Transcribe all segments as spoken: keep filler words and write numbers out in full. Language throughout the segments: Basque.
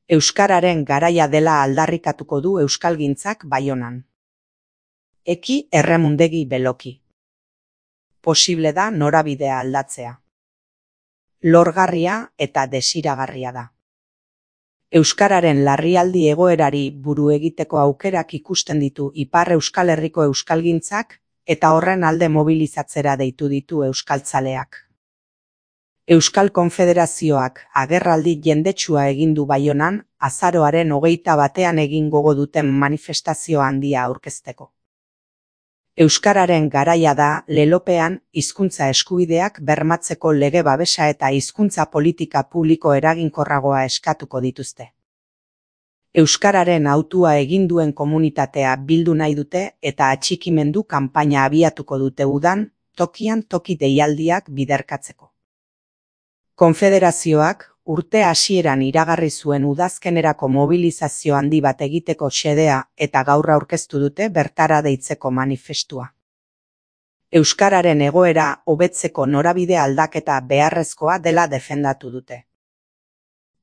Euskararen garaia dela aldarrikatuko du euskalgintzak Baionan. Eki erremundegi beloki. Posible da norabidea aldatzea. Lorgarria eta desiragarria da. Euskararen larrialdi egoerari buru egiteko aukerak ikusten ditu Ipar Euskal Herriko euskalgintzak eta horren alde mobilizatzera deitu ditu euskaltzaleak. Euskal Konfederazioak agerraldi jendetsua egin du Baionan azaroaren hogeita batean egin gogo duten manifestazio handia aurkezteko. Euskararen garaia da lelopean hizkuntza eskubideak bermatzeko lege babesa eta hizkuntza politika publiko eraginkorragoa eskatuko dituzte. Euskararen hautua egin duen komunitatea bildu nahi dute eta atxikimendu kanpaina abiatuko dute udan, tokian toki deialdiak biderkatzeko. Konfederazioak urte hasieran iragarri zuen udazkenerako mobilizazio handi bat egiteko xedea eta gaur aurkeztu dute bertara deitzeko manifestua. Euskararen egoera hobetzeko norabide aldaketa beharrezkoa dela defendatu dute.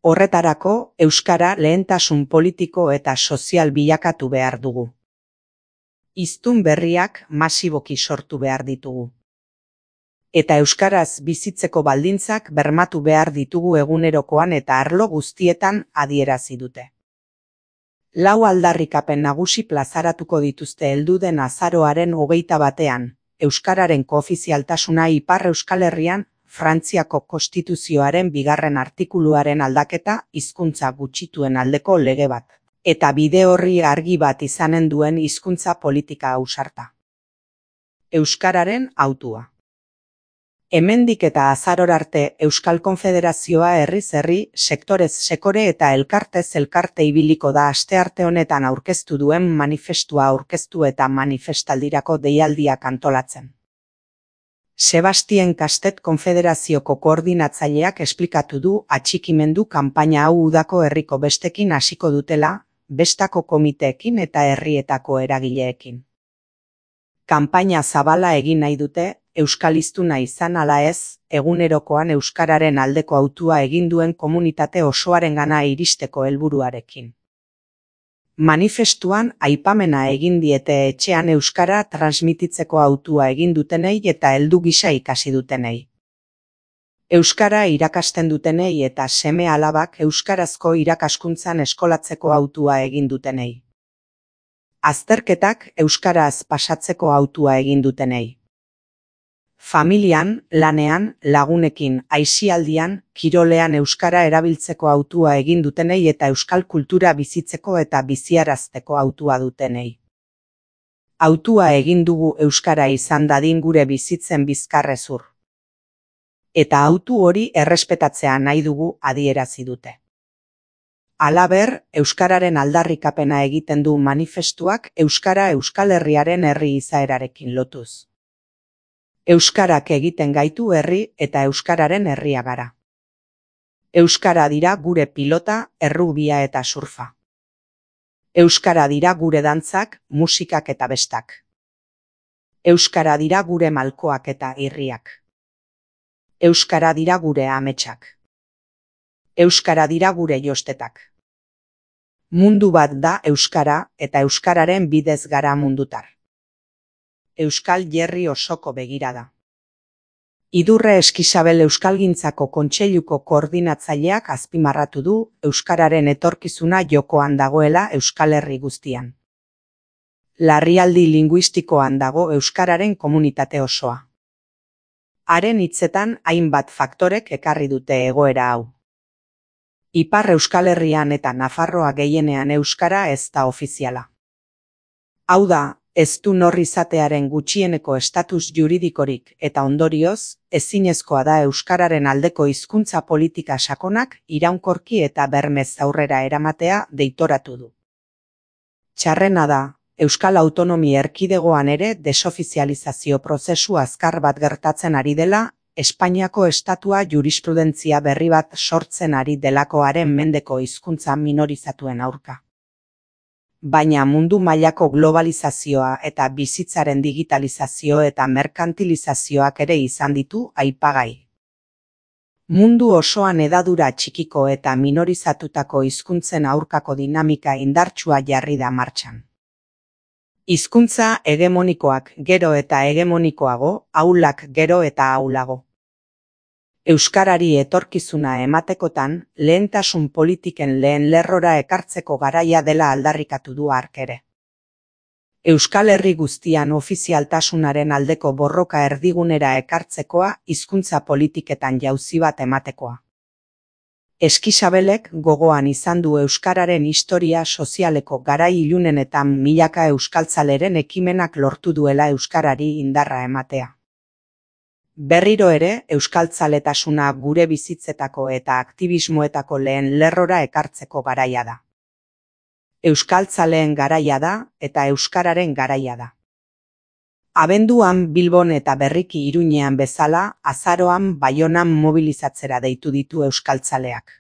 Horretarako, euskara lehentasun politiko eta sozial bilakatu behar dugu. Hiztun berriak masiboki sortu behar ditugu. Eta euskaraz bizitzeko baldintzak bermatu behar ditugu egunerokoan eta arlo guztietan adierazi dute. Lau aldarrikapen nagusi plazaratuko dituzte helduden azaroaren hogeita batean, euskararen koofizialtasuna Ipar Euskal Herrian, Frantziako Konstituzioaren bigarren artikuluaren aldaketa hizkuntza gutxituen aldeko lege bat, eta bide horri argi bat izanen duen hizkuntza politika ausarta. Euskararen hautua. Hemendik eta azaror arte Euskal Konfederazioa herriz herri, sektorez sekore eta elkartez elkarte ibiliko da astearte honetan aurkeztu duen manifestua aurkeztu eta manifestaldirako deialdiak antolatzen. Sebastien Kastet Konfederazioko koordinatzaileak esplikatu du atxikimendu kanpaina hau udako herriko bestekin hasiko dutela, bestako komiteekin eta herrietako eragileekin. Kanpaina zabala egin nahi dute, euskaliztuna izan ala ez, egunerokoan euskararen aldeko hautua egin duen komunitate osoarengana iristeko helburuarekin. Manifestuan aipamena egin diete etxean euskara transmititzeko hautua egin dutenei eta heldu gisa ikasi dutenei. Euskara irakasten dutenei eta seme alabak euskarazko irakaskuntzan eskolatzeko hautua egin dutenei. Azterketak euskaraz pasatzeko hautua egin dutenei. Familian, lanean, lagunekin, aisialdian, kirolean euskara erabiltzeko hautua egin dutenei eta euskal kultura bizitzeko eta biziarazteko hautua dutenei. Hautua egin dugu euskara izan dadin gure bizitzen bizkarrezur. Eta hautu hori errespetatzea nahi dugu adierazi dute. Halaber, euskararen aldarrikapena egiten du manifestuak euskara Euskal Herriaren herri izaerarekin lotuz. Euskarak egiten gaitu herri eta euskararen herria gara. Euskara dira gure pilota, errubia eta surfa. Euskara dira gure dantzak, musikak eta bestak. Euskara dira gure malkoak eta irriak. Euskara dira gure ametsak. Euskara dira gure jostetak. Mundu bat da euskara eta euskararen bidez gara mundutar. Euskal Jerri osoko begirada. Idurre Eskisabel Euskalgintzako Kontseiluko koordinatzaileak azpimarratu du euskararen etorkizuna jokoan dagoela Euskal Herri guztian. Larrialdi linguistikoan dago euskararen komunitate osoa. Haren hitzetan hainbat faktorek ekarri dute egoera hau. Ipar Euskal Herrian eta Nafarroa gehienean euskara ez da ofiziala. Hau da, ez du nor izatearen gutxieneko estatus juridikorik eta ondorioz, ezinezkoa da euskararen aldeko hizkuntza politika sakonak iraunkorki eta bermez aurrera eramatea deitoratu du. Txarrena da, Euskal Autonomia Erkidegoan ere desofizializazio prozesu azkar bat gertatzen ari dela, Espainiako estatua jurisprudentzia berri bat sortzen ari delakoaren mendeko hizkuntza minorizatuen aurka. Baina mundu mailako globalizazioa eta bizitzaren digitalizazio eta merkantilizazioak ere izan ditu aipagai. Mundu osoan hedadura txikiko eta minorizatutako hizkuntzen aurkako dinamika indartsua jarri da martxan. Hizkuntza hegemonikoak gero eta hegemonikoago, ahulak gero eta ahulago. Euskarari etorkizuna ematekotan, lehentasun politiken lehen lerrora ekartzeko garaia dela aldarrikatu du hark ere. Euskal Herri guztian ofizialtasunaren aldeko borroka erdigunera ekartzekoa hizkuntza politiketan jauzi bat ematekoa. Eskisabelek gogoan izan du euskararen historia sozialeko garai ilunenetan milaka euskaltzaleren ekimenak lortu duela euskarari indarra ematea. Berriro ere, euskaltzaletasuna gure bizitzetako eta aktibismoetako lehen lerrora ekartzeko garaia da. Euskaltzaleen garaia da eta euskararen garaia da. Abenduan Bilbon eta berriki Iruñean bezala, azaroan Baionan mobilizatzera deitu ditu euskaltzaleak.